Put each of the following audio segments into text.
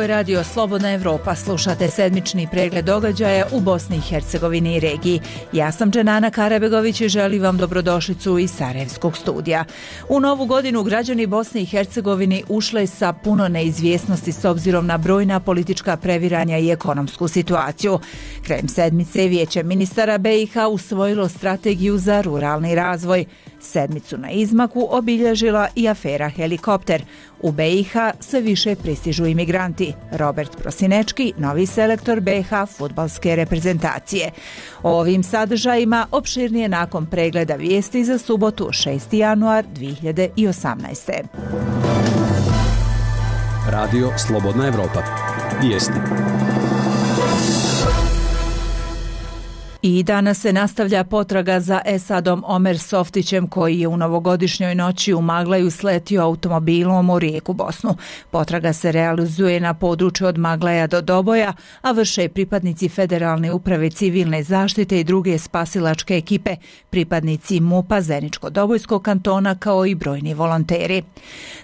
je radio Slobodna Evropa. Slušate sedmični pregled događaja u Bosni i Hercegovini i regiji. Ja sam Dženana Karabegović i želim vam dobrodošlicu iz Sarajevskog studija. U novu godinu građani Bosne i Hercegovini ušle sa puno neizvjesnosti s obzirom na brojna politička previranja i ekonomsku situaciju. Krajem sedmice Vijeće ministara BiH usvojilo strategiju za ruralni razvoj. Sedmicu na izmaku obilježila i afera Helikopter. U BiH sve više pristižu imigranti. Robert Prosinečki, novi selektor BiH fudbalske reprezentacije. O ovim sadržajima opširnije nakon pregleda vijesti za subotu 6. januar 2018. Radio Slobodna Evropa. Vijesti. I danas se nastavlja potraga za Esadom Omer Softićem koji je u novogodišnjoj noći u Maglaju sletio automobilom u Rijeku, Bosnu. Potraga se realizuje na području od Maglaja do Doboja, a vrše pripadnici Federalne uprave civilne zaštite i druge spasilačke ekipe, pripadnici MUP-a Zeničko-Dobojskog kantona kao i brojni volonteri.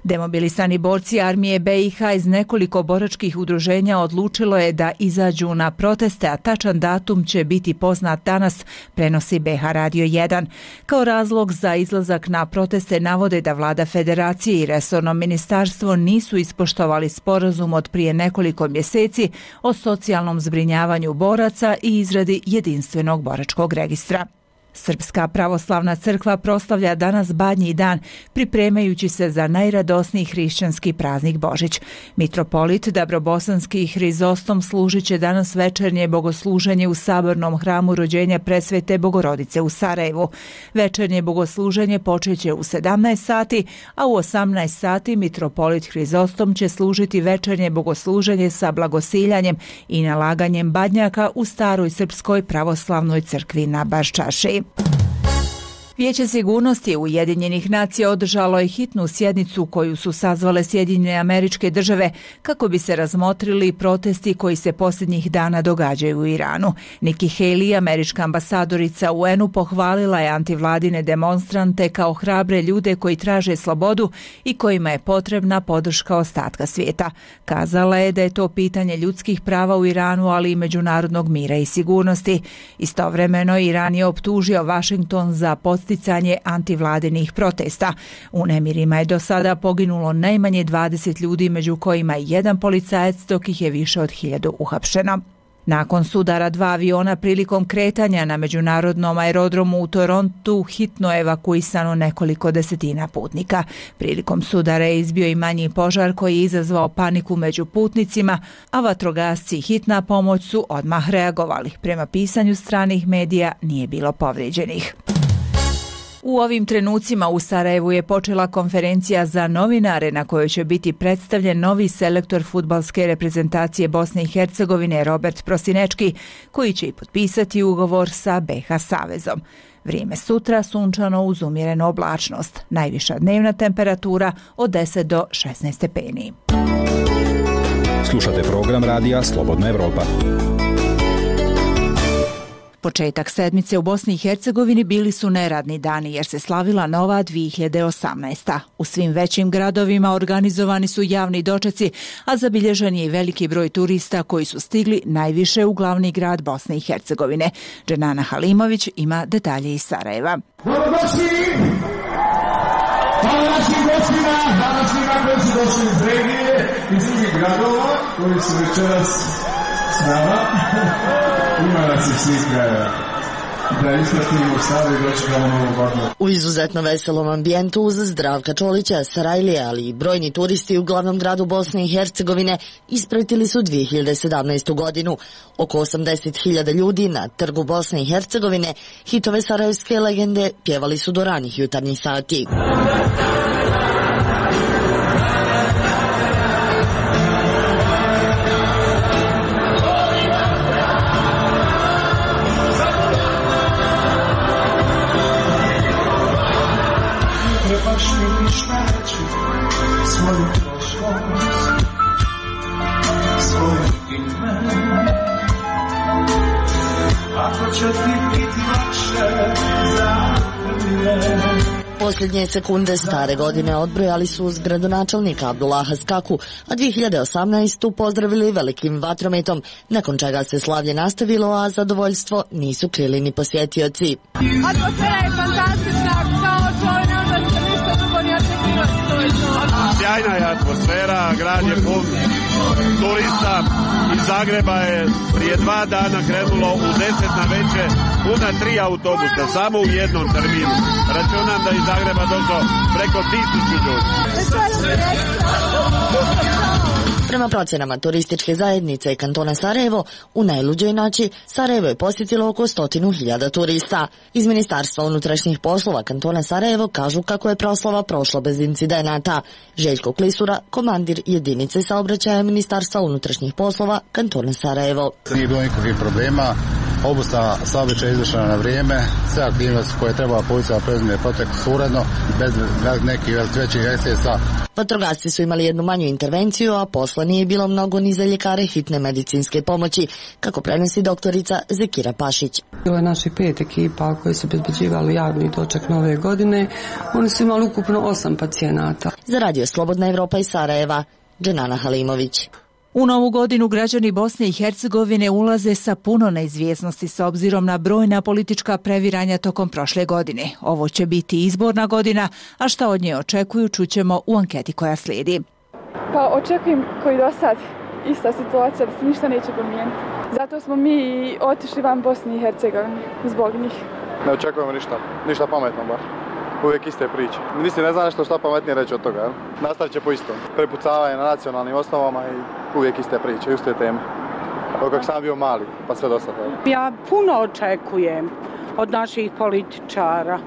Demobilisani borci armije BiH iz nekoliko boračkih udruženja odlučilo je da izađu na proteste, a tačan datum će biti poznat danas, prenosi BiH Radio 1. Kao razlog za izlazak na proteste navode da vlada federacije i resorno ministarstvo nisu ispoštovali sporazum od prije nekoliko mjeseci o socijalnom zbrinjavanju boraca i izradi jedinstvenog boračkog registra. Srpska pravoslavna crkva proslavlja danas Badnji dan, pripremajući se za najradosniji hrišćanski praznik Božić. Mitropolit Dabrobosanski Hrizostom služit će danas večernje bogosluženje u sabornom hramu rođenja Presvete Bogorodice u Sarajevu. Večernje bogosluženje počeće u 17 sati, a u 18 sati mitropolit Hrizostom će služiti večernje bogosluženje sa blagosiljanjem i nalaganjem badnjaka u staroj srpskoj pravoslavnoj crkvi na Baščaši. Vijeće sigurnosti Ujedinjenih nacija održalo je hitnu sjednicu koju su sazvale Sjedinjene Američke Države kako bi se razmotrili protesti koji se posljednjih dana događaju u Iranu. Nikki Haley, američka ambasadorica u UN-u, pohvalila je antivladine demonstrante kao hrabre ljude koji traže slobodu i kojima je potrebna podrška ostatka svijeta. Kazala je da je to pitanje ljudskih prava u Iranu, ali i međunarodnog mira i sigurnosti. Istovremeno Iran je optužio Washington za podsticanje antivladinih protesta. U nemirima je do sada poginulo najmanje 20 ljudi, među kojima je jedan policajac, dok ih je više od 1000 uhapšeno. Nakon sudara 2 aviona prilikom kretanja na međunarodnom aerodromu u Torontu hitno je evakuisano nekoliko desetina putnika. Prilikom sudara je izbio i manji požar koji je izazvao paniku među putnicima, a vatrogasci i hitna pomoć su odmah reagovali. Prema pisanju stranih medija nije bilo povrijeđenih. U ovim trenucima u Sarajevu je počela konferencija za novinare na kojoj će biti predstavljen novi selektor fudbalske reprezentacije Bosne i Hercegovine Robert Prosinečki, koji će i potpisati ugovor sa BiH savezom. Vrijeme sutra sunčano uz umjerenu oblačnost. Najviša dnevna temperatura od 10 do 16 stepeni. Slušate program radija Slobodna Evropa. Početak sedmice u Bosni i Hercegovini bili su neradni dani jer se slavila nova 2018. U svim većim gradovima organizovani su javni dočeci, a zabilježen je i veliki broj turista koji su stigli najviše u glavni grad Bosne i Hercegovine. Dženana Halimović ima detalje iz Sarajeva. Dobrodošli! Hvala našim gostima, hvala svima koji su došli iz regije, iz drugih gradova koji su večeras s nama. Ima nas i svih krajeva. Da ispratimo stavu i dočekamo novu godinu. U izuzetno veselom ambijentu uz Zdravka Čolića, Sarajlije, ali i brojni turisti u glavnom gradu Bosne i Hercegovine ispratili su 2017. godinu. Oko 80.000 ljudi na trgu Bosne i Hercegovine hitove sarajevske legende pjevali su do ranih jutarnjih sati. Svoju prošlost, svoje ime, ako će ti biti lakše za mene. Posljednje sekunde stare godine odbrojali su uz gradonačelnika Abdullaha Skaku, a 2018. pozdravili velikim vatrometom, nakon čega se slavlje nastavilo, a zadovoljstvo nisu krili ni posjetioci. Atmosfera je fantastična, kao čovjek ne može ništa drugo ni očekivati. Sjajna je atmosfera, grad je pun turista. Iz Zagreba je prije 2 dana krenulo u 10 na večer puna 3 autobusa, samo u jednom terminu. Računam da iz Zagreba došlo preko 1000 ljudi. Prema procjenama turističke zajednice kantona Sarajevo, u najluđoj noći Sarajevo je posjetilo oko 100.000 turista. Iz Ministarstva unutrašnjih poslova kantona Sarajevo kažu kako je proslava prošla bez incidenata. Željko Klisura, komandir jedinice saobraćaja Ministarstva unutrašnjih poslova kantona Sarajevo. Nije bilo nikakvih problema, obustava saobraćaja izvršena na vrijeme, sve aktivnosti koje treba policija preduzme protekli su uredno, bez nekih većih ekscesa. Vatrogasci su imali jednu manju intervenciju, a posla nije bilo mnogo ni za ljekare hitne medicinske pomoći, kako prenosi doktorica Zekira Pašić. Bilo je naših 5 ekipa koji su obezbeđivali javni doček nove godine. Oni su imali ukupno 8 pacijenata. Za Radio Slobodna Evropa iz Sarajeva, Dženana Halimović. U novu godinu građani Bosne i Hercegovine ulaze sa puno neizvjesnosti s obzirom na brojna politička previranja tokom prošle godine. Ovo će biti izborna godina, a šta od nje očekuju čućemo u anketi koja slijedi. Pa očekujem koji do sad ista situacija da se ništa neće promijeniti. Zato smo mi otišli van Bosne i Hercegovine zbog njih. Ne očekujemo ništa pametno bar. Uvijek iste priče. Mislim, ne znam nešto šta pametnije reći od toga. Nastavit će po istom. Prepucavanje na nacionalnim osnovama i uvijek iste priče, iste teme. Kako sam bio mali, pa sve do sada. Ja puno očekujem od naših političara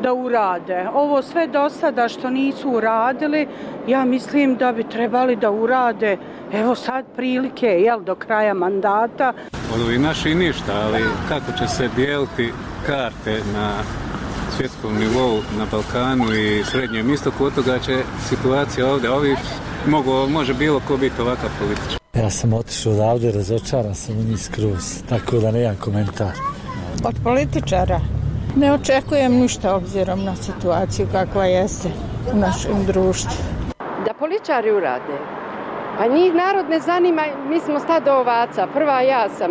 da urade. Ovo sve do sada što nisu uradili, ja mislim da bi trebali da urade. Evo sad prilike, do kraja mandata. Od ovih naših ništa, ali kako će se dijeliti karte na svjetskom nivou, na Balkanu i Srednjem istoku, od toga će situacija ovdje, može bilo ko biti ovakav političar. Ja sam otišao odavde, razočaran sam u njih skroz, tako da nemam komentar. Od političara ne očekujem ništa obzirom na situaciju kakva jeste u našem društvu. Da političari urade. Pa njih narod ne zanima, mi smo stado ovaca. Prva ja sam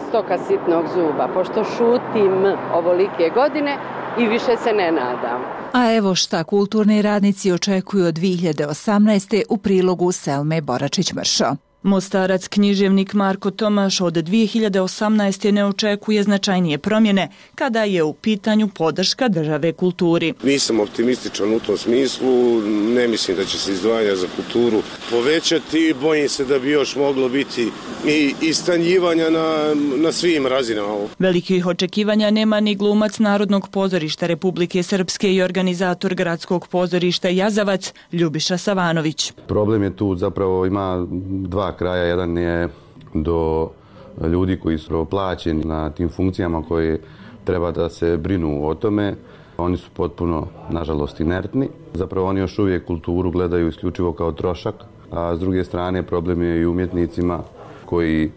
stoka sitnog zuba, pošto šutim ovolike godine i više se ne nadam. A evo šta kulturni radnici očekuju od 2018. u prilogu Selme Boračić-Mršo. Mostarac književnik Marko Tomaš od 2018. ne očekuje značajnije promjene kada je u pitanju podrška države kulturi. Nisam optimističan u tom smislu, ne mislim da će se izdvajanja za kulturu povećati, bojim se da bi još moglo biti i istanjivanja na svim razinama. Velikih očekivanja nema ni glumac Narodnog pozorišta Republike Srpske i organizator Gradskog pozorišta Jazavac Ljubiša Savanović. Problem je tu zapravo ima dva kraja. Jedan je do ljudi koji su plaćeni na tim funkcijama koji treba da se brinu o tome. Oni su potpuno, nažalost, inertni. Zapravo oni još uvijek kulturu gledaju isključivo kao trošak, a s druge strane problem je i umjetnicima koji,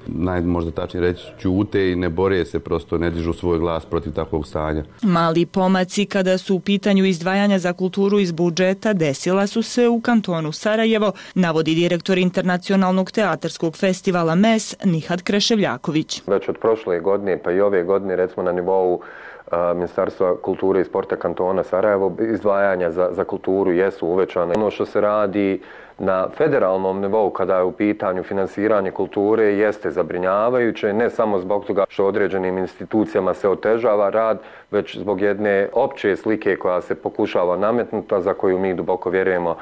možda tačnije reći, ćute i ne bore se, prosto ne dižu svoj glas protiv takvog stanja. Mali pomaci kada su u pitanju izdvajanja za kulturu iz budžeta desila su se u kantonu Sarajevo, navodi direktor Internacionalnog teatarskog festivala MES Nihad Kreševljaković. Već od prošle godine pa i ove godine, recimo na nivou Ministarstva kulture i sporta kantona Sarajevo, izdvajanja za kulturu jesu uvećane. Ono što se radi na federalnom nivou kada je u pitanju finansiranje kulture jeste zabrinjavajuće, ne samo zbog toga što određenim institucijama se otežava rad, već zbog jedne opće slike koja se pokušava nametnuti, za koju mi duboko vjerujemo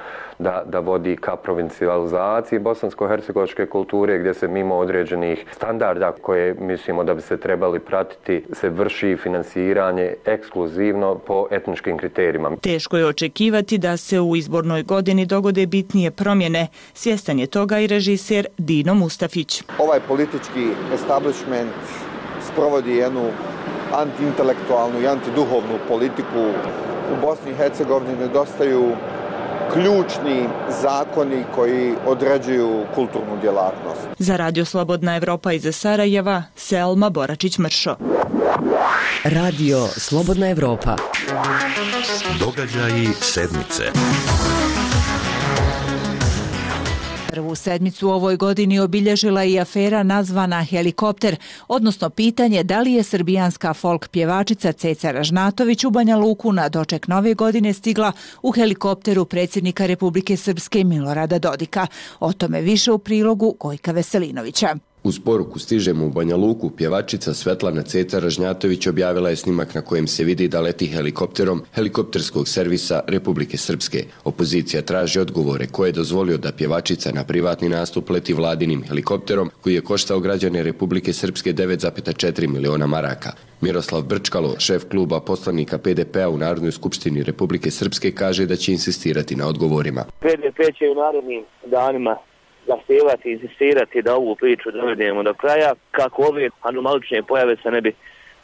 da vodi ka provincijalizaciji bosansko-hercegovačke kulture, gdje se mimo određenih standarda koje mislimo da bi se trebali pratiti, se vrši finansiranje ekskluzivno po etničkim kriterijima. Teško je očekivati da se u izbornoj godini dogode bitnije promjene. Svjestan je toga i režiser Dino Mustafić. Ovaj politički establishment sprovodi jednu antiintelektualnu i antiduhovnu politiku. U Bosni i Hercegovini nedostaju ključni zakoni koji određuju kulturnu djelatnost. Za Radio Slobodna Evropa iz Sarajeva, Selma Boračić-Mršo. Radio Slobodna Evropa. Događaji sedmice. Prvu sedmicu u ovoj godini obilježila i afera nazvana Helikopter, odnosno pitanje da li je srbijanska folk pjevačica Ceca Ražnatović u Banja Luku na doček nove godine stigla u helikopteru predsjednika Republike Srpske Milorada Dodika. O tome više u prilogu Gojka Veselinovića. Uz poruku stižemo u Banja Luku, pjevačica Svetlana Ceca Ražnjatović objavila je snimak na kojem se vidi da leti helikopterom helikopterskog servisa Republike Srpske. Opozicija traži odgovore ko je dozvolio da pjevačica na privatni nastup leti vladinim helikopterom koji je koštao građane Republike Srpske 9,4 miliona maraka. Miroslav Brčkalo, šef kluba poslanika PDP-a u Narodnoj skupštini Republike Srpske, kaže da će insistirati na odgovorima. PDP će u narednim danima zahtijevati, insistirati da ovu priču dovedemo do kraja, kako ove anomalične pojave se ne bi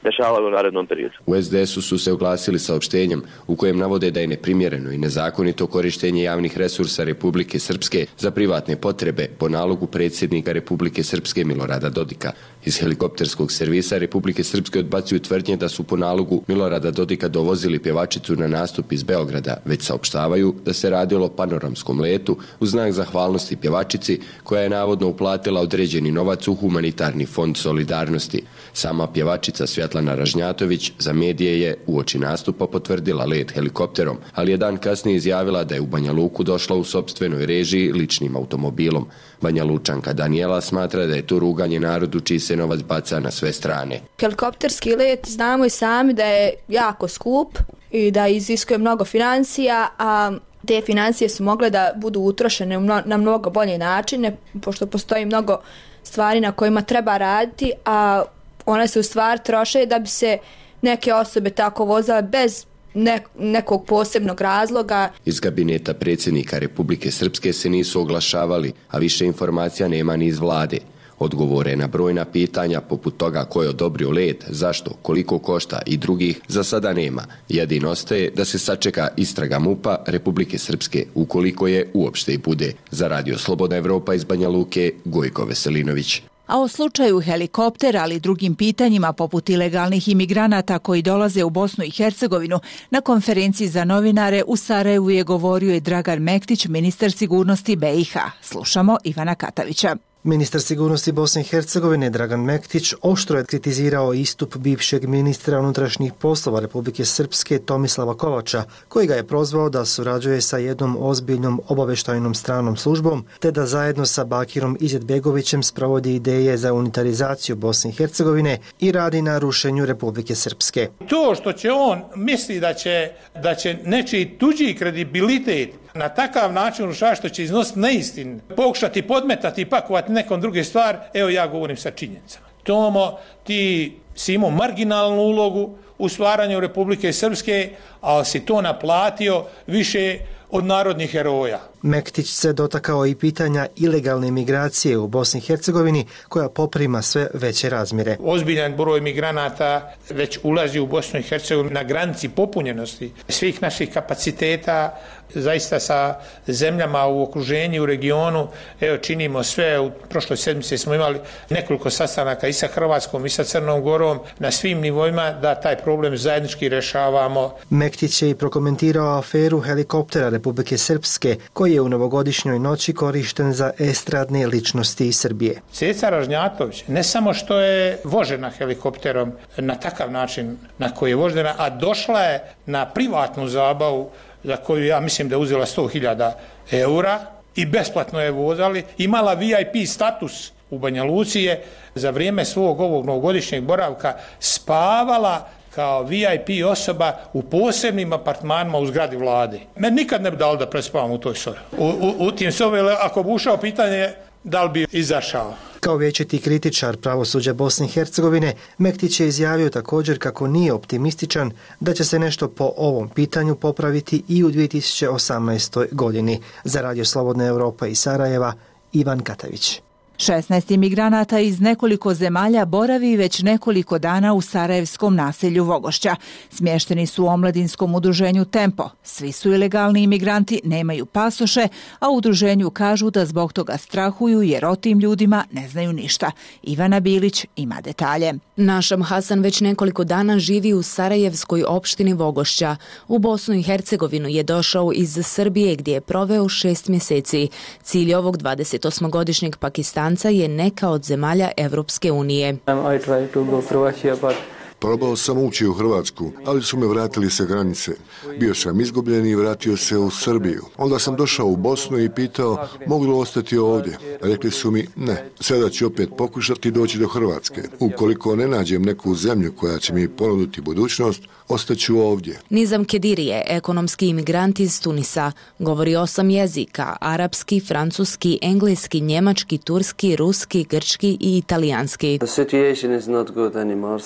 dešavalo u narednom periodu. U SDS-u su se oglasili saopštenjem u kojem navode da je neprimjereno i nezakonito korištenje javnih resursa Republike Srpske za privatne potrebe po nalogu predsjednika Republike Srpske Milorada Dodika. Iz helikopterskog servisa Republike Srpske odbacuju tvrdnje da su po nalogu Milorada Dodika dovozili pjevačicu na nastup iz Beograda, već saopštavaju da se radilo o panoramskom letu u znak zahvalnosti pjevačici koja je navodno uplatila određeni novac u humanitarni fond solidarnosti. Sama pjevačica Svetlana Ražnjatović za medije je uoči nastupa potvrdila let helikopterom, ali je dan kasnije izjavila da je u Banja Luku došla u sopstvenoj režiji ličnim automobilom. Banja Lučanka Daniela smatra da je to ruganje narodu čiji se novac baca na sve strane. Helikopterski let znamo i sami da je jako skup i da iziskuje mnogo financija, a te financije su mogle da budu utrošene na mnogo bolje načine, pošto postoji mnogo stvari na kojima treba raditi, a one se u stvari troše da bi se neke osobe tako vozile bez nekog posebnog razloga. Iz kabineta predsjednika Republike Srpske se nisu oglašavali, a više informacija nema ni iz vlade. Odgovore na brojna pitanja poput toga ko je odobrio let, zašto, koliko košta i drugih za sada nema. Jedino ostaje da se sačeka istraga MUP-a Republike Srpske ukoliko je uopšte i bude. Za Radio Slobodna Evropa iz Banja Luke, Gojko Veselinović. A o slučaju helikoptera, ali i drugim pitanjima poput ilegalnih imigranata koji dolaze u Bosnu i Hercegovinu, na konferenciji za novinare u Sarajevu je govorio i Dragan Mektić, ministar sigurnosti BiH. Slušamo Ivana Katavića. Ministar sigurnosti Bosne i Hercegovine Dragan Mektić oštro je kritizirao istup bivšeg ministra unutrašnjih poslova Republike Srpske Tomislava Kovača, koji ga je prozvao da surađuje sa jednom ozbiljnom obavještajnom stranom službom, te da zajedno sa Bakirom Izetbegovićem sprovodi ideje za unitarizaciju Bosne i Hercegovine i radi na rušenju Republike Srpske. To što će on misli da će nečiji tuđi kredibilitet na takav način urušavati, što će iznositi neistinu, pokušati podmetati i pakovati nekom druge stvar, evo ja govorim sa činjenicama. Tomo, ti si imao marginalnu ulogu u stvaranju Republike Srpske, ali si to naplatio više od narodnih heroja. Mektić se dotakao i pitanja ilegalne migracije u Bosni i Hercegovini, koja poprima sve veće razmjere. Ozbiljan broj migranata već ulazi u Bosnu i Hercegovinu na granici popunjenosti svih naših kapaciteta, zaista sa zemljama u okruženju, u regionu. Evo, činimo sve. U prošloj sedmici smo imali nekoliko sastanaka i sa Hrvatskom i sa Crnom Gorom na svim nivoima da taj problem zajednički rešavamo. Mektić je i prokomentirao aferu helikoptera Republike Srpske, koji je u novogodišnjoj noći korišten za estradne ličnosti iz Srbije. Ceca Ražnjatović ne samo što je vožena helikopterom na takav način na koji je vožena, a došla je na privatnu zabavu za koju ja mislim da je uzela 100.000 eura i besplatno je vozali, imala VIP status u Banja Luci, je za vrijeme svog ovog novogodišnjeg boravka spavala kao VIP osoba u posebnim apartmanima u zgradi vlade. Meni nikad ne bi dalo da prespavam u toj sobi. U tim sobi, ako bi ušao pitanje, da li bi izašao. Kao vječiti kritičar pravosuđa Bosne i Hercegovine, Mektić je izjavio također kako nije optimističan da će se nešto po ovom pitanju popraviti i u 2018. godini. Za Radio Slobodna Evropa iz Sarajeva, Ivan Katavić. 16 imigranata iz nekoliko zemalja boravi već nekoliko dana u sarajevskom naselju Vogošća. Smješteni su u omladinskom udruženju Tempo. Svi su ilegalni imigranti, nemaju pasoše, a u udruženju kažu da zbog toga strahuju jer o tim ljudima ne znaju ništa. Ivana Bilić ima detalje. Našam Hasan već nekoliko dana živi u sarajevskoj opštini Vogošća. U Bosnu i Hercegovinu je došao iz Srbije gdje je proveo 6 mjeseci. Cilj ovog 28-godišnjeg Pakistanca je neka od zemalja Evropske unije. Probao sam ući u Hrvatsku, ali su me vratili sa granice. Bio sam izgubljen i vratio se u Srbiju. Onda sam došao u Bosnu i pitao mogu li ostati ovdje. Rekli su mi ne, sada ću opet pokušati doći do Hrvatske. Ukoliko ne nađem neku zemlju koja će mi ponuditi budućnost, ostaću ovdje. Nizam Kediri je ekonomski imigrant iz Tunisa. Govori 8 jezika, arapski, francuski, engleski, njemački, turski, ruski, grčki i italijanski.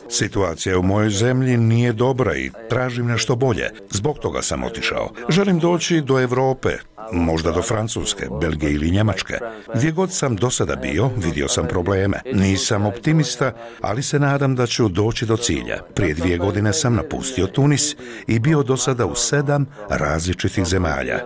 Situacija u mojoj zemlji nije dobra i tražim nešto bolje. Zbog toga sam otišao. Želim doći do Europe, možda do Francuske, Belgije ili Njemačke. Gdje god sam do sada bio, vidio sam probleme. Nisam optimista, ali se nadam da ću doći do cilja. Prije 2 godine sam napustio Tunis i bio do sada u 7 različitih zemalja.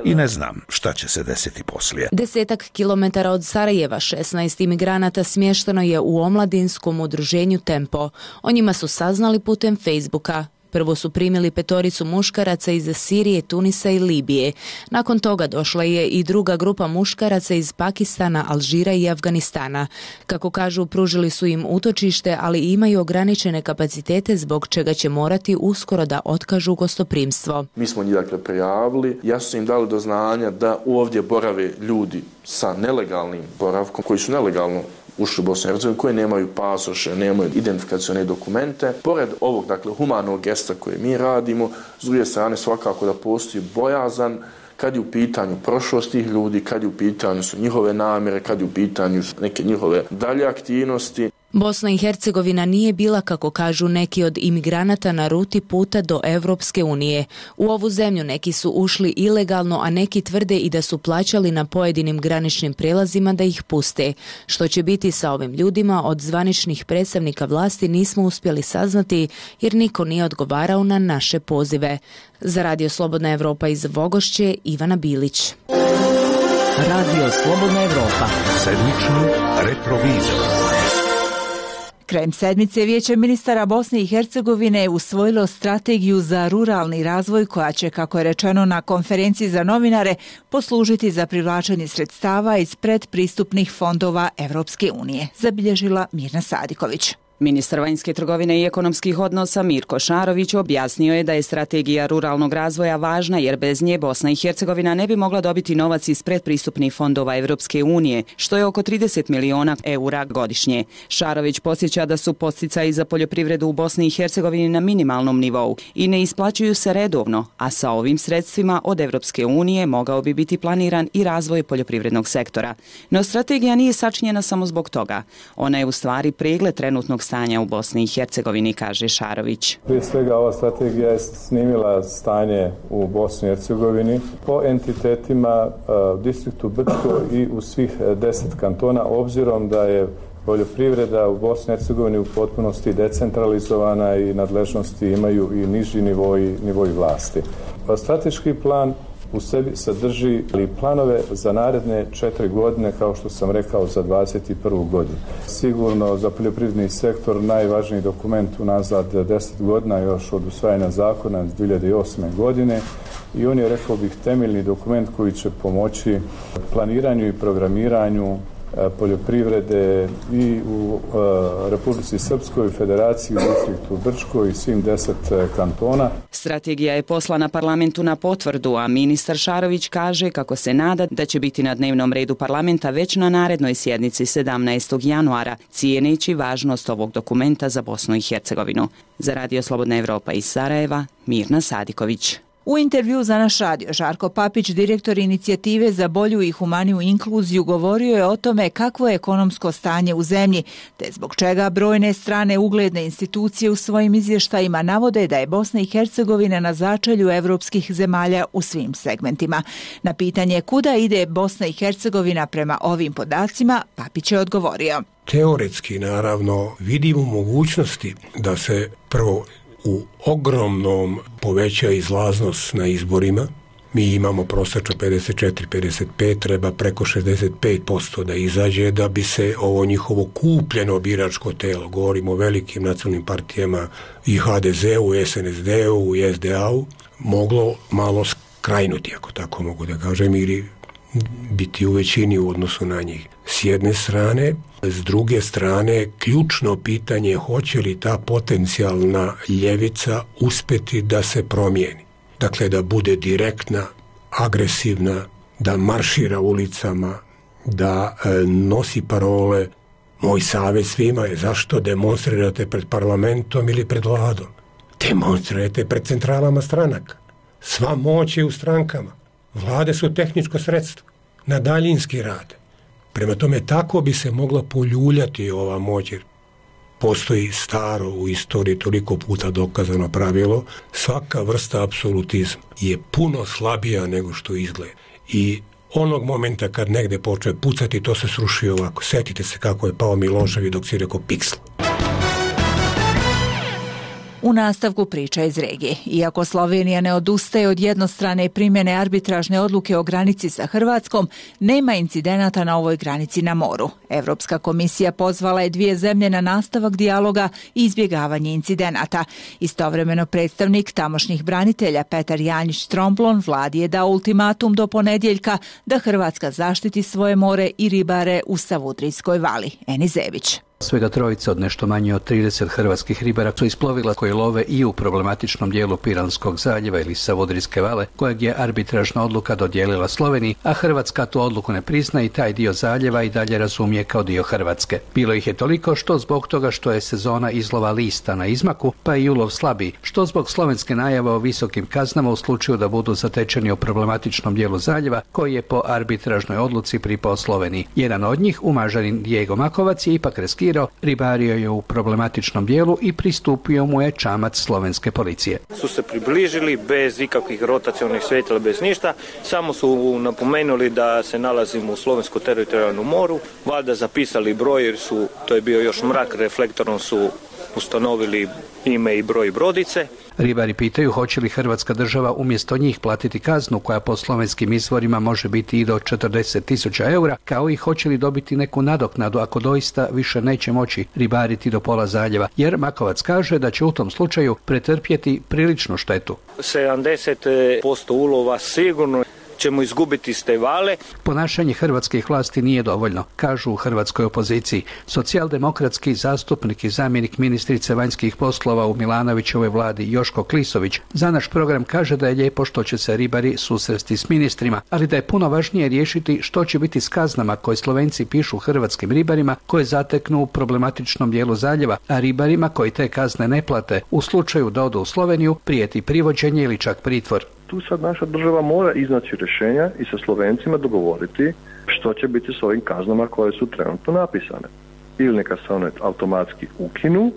I ne znam šta će se desiti poslije. 10 kilometara od Sarajeva 16 imigranata smješteno je u omladinskom udruženju Tempo. O njima su saznali putem Facebooka. Prvo su primili 5 muškaraca iz Sirije, Tunisa i Libije. Nakon toga došla je i druga grupa muškaraca iz Pakistana, Alžira i Afganistana. Kako kažu, pružili su im utočište, ali imaju ograničene kapacitete zbog čega će morati uskoro da otkažu gostoprimstvo. Mi smo njih prijavili, ja su im dali do znanja da ovdje borave ljudi sa nelegalnim boravkom, koji su nelegalno ušli u Bosnu i Hercegovinu, koji nemaju pasoše, nemaju identifikacione dokumente. Pored ovog, humanog gesta koje mi radimo, s druge strane svakako da postoji bojazan kad je u pitanju prošlost tih ljudi, kad je u pitanju su njihove namjere, kad je u pitanju neke njihove dalje aktivnosti. Bosna i Hercegovina nije bila, kako kažu neki od imigranata, na ruti puta do Evropske unije. U ovu zemlju neki su ušli ilegalno, a neki tvrde i da su plaćali na pojedinim graničnim prijelazima da ih puste. Što će biti sa ovim ljudima, od zvaničnih predstavnika vlasti nismo uspjeli saznati jer niko nije odgovarao na naše pozive. Za Radio Slobodna Evropa iz Vogošće, Ivana Bilić. Radio Slobodna Evropa. Sedmični retrovizor. Krajem sedmice Vijeće ministara Bosne i Hercegovine je usvojilo strategiju za ruralni razvoj koja će, kako je rečeno na konferenciji za novinare, poslužiti za privlačenje sredstava iz predpristupnih fondova Evropske unije, zabilježila Mirna Sadiković. Ministar vanjske trgovine i ekonomskih odnosa Mirko Šarović objasnio je da je strategija ruralnog razvoja važna jer bez nje Bosna i Hercegovina ne bi mogla dobiti novac iz predpristupnih fondova Evropske unije, što je oko 30 miliona eura godišnje. Šarović podsjeća da su podsticaji za poljoprivredu u Bosni i Hercegovini na minimalnom nivou i ne isplaćuju se redovno, a sa ovim sredstvima od Evropske unije mogao bi biti planiran i razvoj poljoprivrednog sektora. No strategija nije sačinjena samo zbog toga. Ona je u stvari pregled trenutnog stanja u Bosni i Hercegovini, kaže Šarović. Prije svega ova strategija je snimila stanje u Bosni i Hercegovini po entitetima u distriktu Brčko i u svih 10 kantona, obzirom da je poljoprivreda u Bosni i Hercegovini u potpunosti decentralizovana i nadležnosti imaju i niži nivoji vlasti. Strateški plan u sebi sadrži planove za naredne 4 godine, kao što sam rekao, za 2021. godinu. Sigurno za poljoprivredni sektor najvažniji dokument unazad 10 godina, još od usvajanja zakona 2008. godine, i on je, rekao bih, temeljni dokument koji će pomoći planiranju i programiranju poljoprivrede i u Republici Srpskoj, Federaciji, u distriktu Brčko i svim 10 kantona. Strategija je poslana parlamentu na potvrdu, a ministar Šarović kaže kako se nada da će biti na dnevnom redu parlamenta već na narednoj sjednici 17. januara, cijeneći važnost ovog dokumenta za Bosnu i Hercegovinu. Za Radio Slobodna Evropa iz Sarajeva, Mirna Sadiković. U intervju za naš radio, Žarko Papić, direktor inicijative za bolju i humaniju inkluziju, govorio je o tome kakvo je ekonomsko stanje u zemlji, te zbog čega brojne strane ugledne institucije u svojim izvještajima navode da je Bosna i Hercegovina na začelju evropskih zemalja u svim segmentima. Na pitanje kuda ide Bosna i Hercegovina prema ovim podacima, Papić je odgovorio. Teoretski, naravno, vidimo mogućnosti da se prvo u ogromnom poveća izlaznost na izborima. Mi imamo prosečno 54-55, treba preko 65% da izađe da bi se ovo njihovo kupljeno biračko telo, govorimo o velikim nacionalnim partijama i HDZ-u, SNSD-u i SDA-u, moglo malo skrajnuti, ako tako mogu da kažem, ili biti u većini u odnosu na njih. S jedne strane, s druge strane, ključno pitanje je hoće li ta potencijalna ljevica uspjeti da se promijeni. Dakle, da bude direktna, agresivna, da maršira ulicama, da nosi parole. Moj savjet svima je zašto demonstrirate pred parlamentom ili pred vladom. Demonstrirajte pred centralama stranaka. Sva moć je u strankama. Vlade su tehničko sredstvo. Na daljinski rad. Prema tome, tako bi se mogla poljuljati ova moć, jer postoji staro u istoriji toliko puta dokazano pravilo, svaka vrsta apsolutizma je puno slabija nego što izgleda. I onog momenta kad negde počne pucati, to se sruši ovako. Setite se kako je pao Milošević dok si rekao piksl. U nastavku priča iz regije. Iako Slovenija ne odustaje od jednostrane primjene arbitražne odluke o granici sa Hrvatskom, nema incidenata na ovoj granici na moru. Evropska komisija pozvala je dvije zemlje na nastavak dijaloga i izbjegavanje incidenata. Istovremeno predstavnik tamošnjih branitelja Petar Janjić-Tromblon vladi je dao ultimatum do ponedjeljka da Hrvatska zaštiti svoje more i ribare u Savudrijskoj vali. Eni Zević. Svega trojica od nešto manje od 30 hrvatskih ribara su isplovila koji love i u problematičnom dijelu Piranskog zaljeva ili Savudrijske vale, kojeg je arbitražna odluka dodijelila Sloveniji, a Hrvatska tu odluku ne prizna i taj dio zaljeva i dalje razumije kao dio Hrvatske. Bilo ih je toliko što zbog toga što je sezona izlova lista na izmaku, pa i ulov slabiji, što zbog slovenske najave o visokim kaznama u slučaju da budu zatečeni u problematičnom dijelu zaljeva, koji je po arbitražnoj odluci pripao Sloveniji. Jedan od njih, umažanin Diego Makovac, je ipak ribario je u problematičnom dijelu i pristupio mu je čamac slovenske policije. Su se približili bez ikakvih rotacionih svjetila, bez ništa, samo su napomenuli da se nalazimo u slovenskom teritorijalnom moru, valjda zapisali broj jer to je bio još mrak, reflektorom su ustanovili ime i broj brodice. Ribari pitaju hoće li Hrvatska država umjesto njih platiti kaznu koja po slovenskim izvorima može biti i do 40.000 eura, kao i hoće li dobiti neku nadoknadu ako doista više neće moći ribariti do pola zaljeva, jer Makovac kaže da će u tom slučaju pretrpjeti priličnu štetu. 70% ulova sigurno ćemo izgubiti iz te vale. Ponašanje hrvatskih vlasti nije dovoljno, kažu u hrvatskoj opoziciji. Socijaldemokratski zastupnik i zamjenik ministrice vanjskih poslova u Milanovićevoj vladi Joško Klisović za naš program kaže da je lijepo što će se ribari susresti s ministrima, ali da je puno važnije riješiti što će biti s kaznama koje Slovenci pišu hrvatskim ribarima koje zateknu u problematičnom dijelu zaljeva, a ribarima koji te kazne ne plate u slučaju da odu u Sloveniju prijeti privođenje ili čak pritvor. Tu sad naša država mora iznaći rješenja i sa Slovencima dogovoriti što će biti s ovim kaznama koje su trenutno napisane. Ili neka se one automatski ukinu,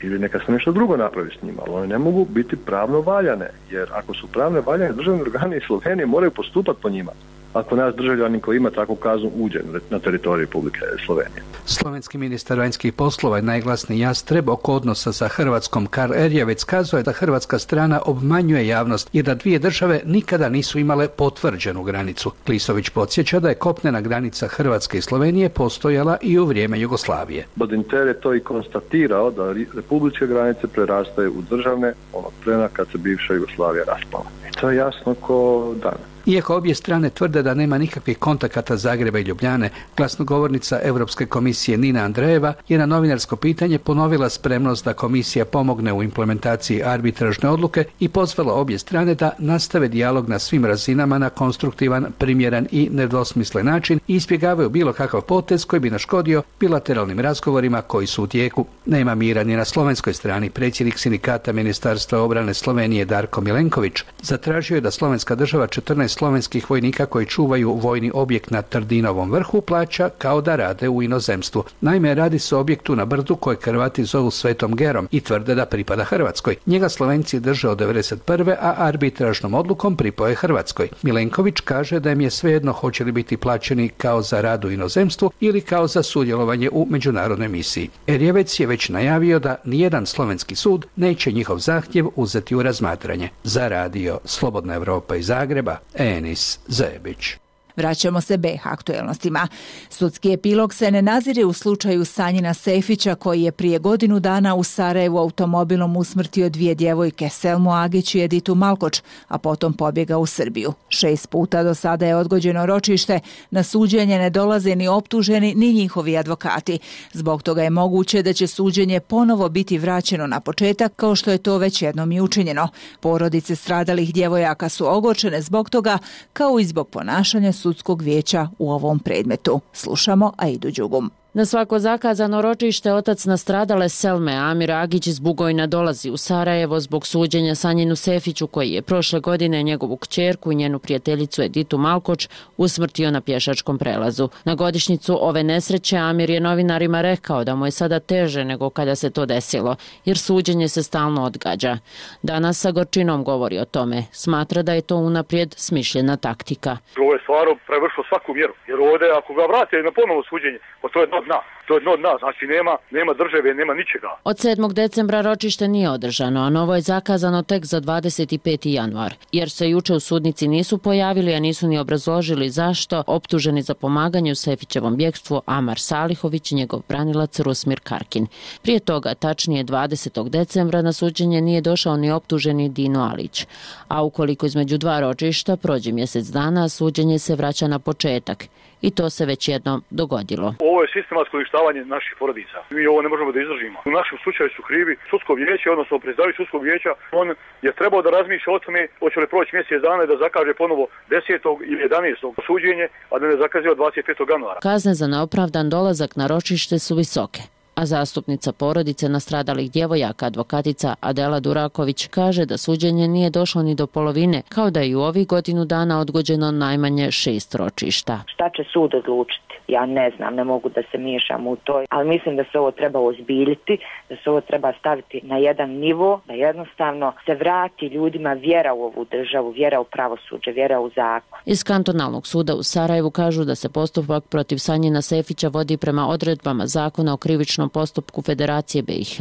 ili neka se nešto drugo napravi s njima, ali one ne mogu biti pravno valjane, jer ako su pravno valjane, državni organi Slovenije moraju postupati po njima. Ako naš državljanin koji ima takvu kaznu uđe na teritoriju Republike Slovenije. Slovenski ministar vanjskih poslova i najglasniji Jastreb oko odnosa sa Hrvatskom Karl Erjavec kazuje da hrvatska strana obmanjuje javnost i da dvije države nikada nisu imale potvrđenu granicu. Klisović podsjeća da je kopnena granica Hrvatske i Slovenije postojala i u vrijeme Jugoslavije. Badinter je to i konstatirao da republičke granice prerastaju u državne onog trena kad se bivša Jugoslavija raspala. I to je jasno ko dan. Iako obje strane tvrde da nema nikakvih kontakata Zagreba i Ljubljane, glasnogovornica Europske komisije Nina Andrejeva je na novinarsko pitanje ponovila spremnost da komisija pomogne u implementaciji arbitražne odluke i pozvala obje strane da nastave dijalog na svim razinama na konstruktivan, primjeran i nedvosmislen način i izbjegavaju bilo kakav potez koji bi naškodio bilateralnim razgovorima koji su u tijeku. Nema mira ni na slovenskoj strani. Predsjednik sindikata Ministarstva obrane Slovenije Darko Milenković zatražio je da slovenska država 14 slovenskih vojnika koji čuvaju vojni objekt na Trdinovom vrhu plaća kao da rade u inozemstvu. Naime, radi se o objektu na brdu koje Hrvati zovu Svetom Gerom i tvrde da pripada Hrvatskoj. Njega Slovenci drže od 1991. a arbitražnom odlukom pripoje Hrvatskoj. Milenković kaže da im je svejedno hoće li biti plaćeni kao za rad u inozemstvu ili kao za sudjelovanje u međunarodnoj misiji. Erjevec je već najavio da nijedan slovenski sud neće njihov zahtjev uzeti u razmatranje. Za radio Slobodna Evropa iz Zagreba, Enis Zebić. Vraćamo se BiH aktuelnostima. Sudski epilog se ne nazire u slučaju Sanjina Sefića koji je prije godinu dana u Sarajevu automobilom usmrtio 2 djevojke, Selmu Agić i Editu Malkoč, a potom pobjegao u Srbiju. 6 puta do sada je odgođeno ročište, na suđenje ne dolaze ni optuženi ni njihovi advokati. Zbog toga je moguće da će suđenje ponovo biti vraćeno na početak kao što je to već jednom i učinjeno. Porodice stradalih djevojaka su ogorčene zbog toga kao i zbog ponašanja sudskog vijeća u ovom predmetu. Slušamo Aidu Đugum. Na svako zakazano ročište otac nastradale Selme Amir Agić iz Bugojna dolazi u Sarajevo zbog suđenja Sanjinu Sefiću koji je prošle godine njegovu kćerku i njenu prijateljicu Editu Malkoč usmrtio na pješačkom prelazu. Na godišnjicu ove nesreće Amir je novinarima rekao da mu je sada teže nego kada se to desilo, jer suđenje se stalno odgađa. Danas sa gorčinom govori o tome. Smatra da je to unaprijed smišljena taktika. Ovo je stvarno prevršilo svaku mjeru, jer ovdje ako ga vrate na ponovo suđenje, pa to je dno dna. To je dno dna, znači nema države, nema ničega. Od 7. decembra ročište nije održano, a novo je zakazano tek za 25. januar. Jer se juče u sudnici nisu pojavili, a nisu ni obrazložili zašto, optuženi za pomaganje u Sefićevom bjekstvu Amar Salihović i njegov branilac Rusmir Karkin. Prije toga, tačnije 20. decembra, na suđenje nije došao ni optuženi Dino Alić. A ukoliko između 2 ročišta prođe mjesec dana, suđenje se vraća na početak. I to se već jednom dogodilo. Ovo je sistematsko uništavanje naših porodica. Mi ovo ne možemo da izdržimo. U našem slučaju su krivi sudsko vijeće, odnosno predstavnik sudskog vijeća. On je trebao da razmišlja o tome hoće li proći mjesec dana i da zakaže ponovo 10. ili 11. suđenje, a da ne zakaže od 25. januara. Kazne za neopravdan dolazak na ročište su visoke. A zastupnica porodice nastradalih djevojaka, advokatica Adela Duraković, kaže da suđenje nije došlo ni do polovine, kao da je u ovih godinu dana odgođeno najmanje 6 ročišta. Šta će sud odlučiti? Ja ne znam, ne mogu da se miješam u to, ali mislim da se ovo treba ozbiljiti, da se ovo treba staviti na jedan nivo, da jednostavno se vrati ljudima vjera u ovu državu, vjera u pravosuđe, vjera u zakon. Iz kantonalnog suda u Sarajevu kažu da se postupak protiv Sanjina Sefića vodi prema odredbama zakona o krivičnom postupku Federacije BiH,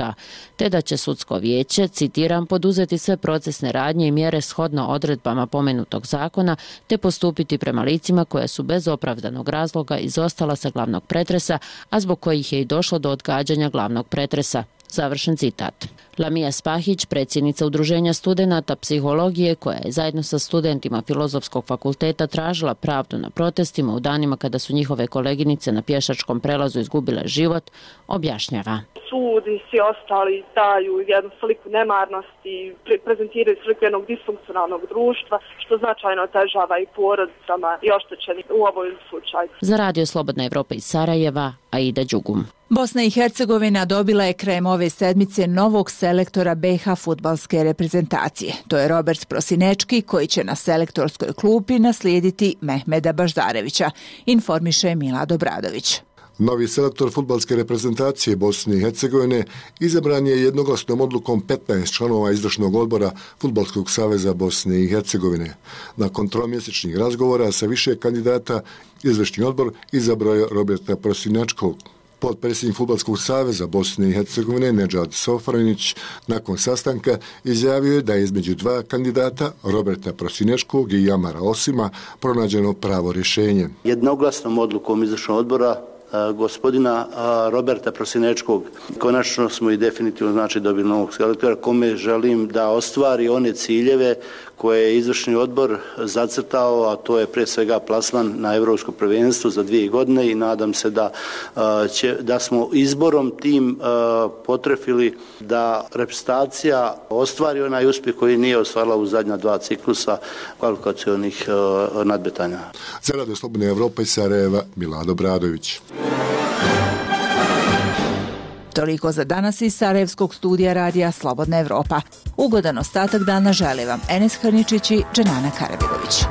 te da će sudsko vijeće, citiram, poduzeti sve procesne radnje i mjere shodno odredbama pomenutog zakona, te postupiti prema licima koja su bez opravdanog razloga izostala sa glavnog pretresa, a zbog kojih je i došlo do odgađanja glavnog pretresa. Završen citat. Lamija Spahić, predsjednica Udruženja studenata psihologije, koja je zajedno sa studentima Filozofskog fakulteta tražila pravdu na protestima u danima kada su njihove koleginice na pješačkom prelazu izgubile život, objašnjava. Sud i svi ostali daju jednu sliku nemarnosti, prezentiraju sliku jednog disfunkcionalnog društva, što značajno otežava i porodicama i oštećenim u ovom slučaju. Za radio Slobodna Evropa iz Sarajeva, Aida Đugum. Bosna i Hercegovina dobila je krajem ove sedmice novog selektora BiH fudbalske reprezentacije. To je Robert Prosinečki koji će na selektorskoj klupi naslijediti Mehmeda Baždarevića, informiše Milad Obradović. Novi selektor fudbalske reprezentacije Bosne i Hercegovine izabran je jednoglasnom odlukom 15 članova izvršnog odbora Fudbalskog saveza Bosne i Hercegovine. Nakon tromjesečnih razgovora sa više kandidata, izvršni odbor izabrao je Roberta Prosinačkog. Potpredsjednik Fudbalskog saveza Bosne i Hercegovine Nedžad Sofranić nakon sastanka izjavio je da je između 2 kandidata, Roberta Prosinečkog i Jamara Osima, pronađeno pravo rješenje. Jednoglasnom odlukom izvršnog odbora gospodina Roberta Prosinečkog konačno smo i definitivno dobili novog selektora kome želim da ostvari one ciljeve koje je izvršni odbor zacrtao, a to je prije svega plasman na Europsko prvenstvo za 2 godine i nadam se da smo izborom tim potrefili da reprezentacija ostvari onaj uspjeh koji nije ostvarila u zadnja 2 ciklusa kvalifikacionih nadmetanja. Za Radio Slobodne Evrope iz Sarajeva, Milado Bradović. Toliko za danas iz Sarajevskog studija radija Slobodna Evropa. Ugodan ostatak dana želi vam Enes Hrničić i Dženana Karabilović.